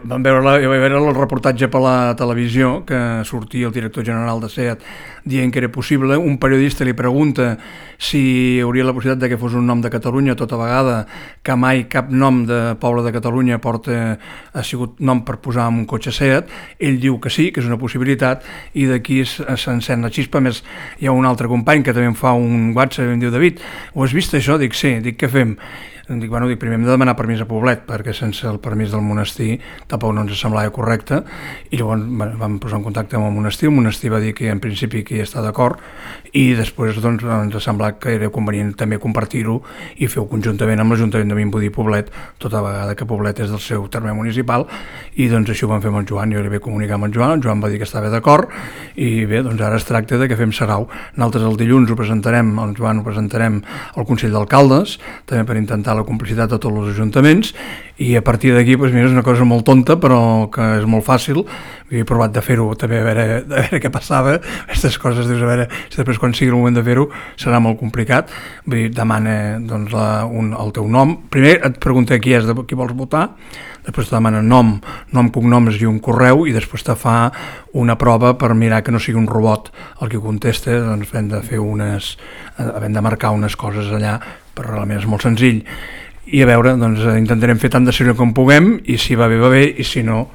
Vam veure, jo vaig veure el reportatge per la televisió que sortia el director general de SEAT dient que era possible. Un periodista li pregunta si hi hauria la possibilitat de que fos un nom de Catalunya tota vegada, que mai cap nom de poble de Catalunya ha sigut nom per posar en un cotxe SEAT. Ell diu que sí, que és una possibilitat, i d'aquí s'encén la xispa. A més, hi ha un altre company que també em fa un WhatsApp i em diu: David, ho has vist això? Dic sí. Dic, què fem? Dic, primer hem de demanar permís a Poblet, perquè sense el permís del monestir tampoc no ens semblava correcte, i llavors vam posar en contacte amb el monestir va dir que en principi que hi està d'acord, i després doncs, ens ha semblat que era convenient també compartir-ho i fer-ho conjuntament amb l'Ajuntament de Vimbodí i Poblet, tota vegada que Poblet és del seu terme municipal, i doncs això ho vam fer amb en Joan. Jo li vaig comunicar amb en Joan va dir que estava d'acord, i bé, doncs ara es tracta de que fem sarau. Nosaltres el dilluns ho presentarem, el Joan ho presentarem al Consell d'Alcaldes, també per intentar la complicitat de tots els ajuntaments, i a partir d'aquí, doncs mira, és una cosa molt tonta, però que és molt fàcil. He provat de fer-ho també, a veure què passava. Aquestes coses, dius, a veure si després quan sigui el moment de fer-ho serà molt complicat. Vull dir, demana doncs, el teu nom. Primer et pregunta qui és, qui vols votar, després te demana nom, cognoms i un correu, i després te fa una prova per mirar que no sigui un robot el que contesta. Doncs hem de marcar unes coses allà, però realment és molt senzill. I a veure, doncs intentarem fer tant de seriós com puguem, i si va bé, i si no,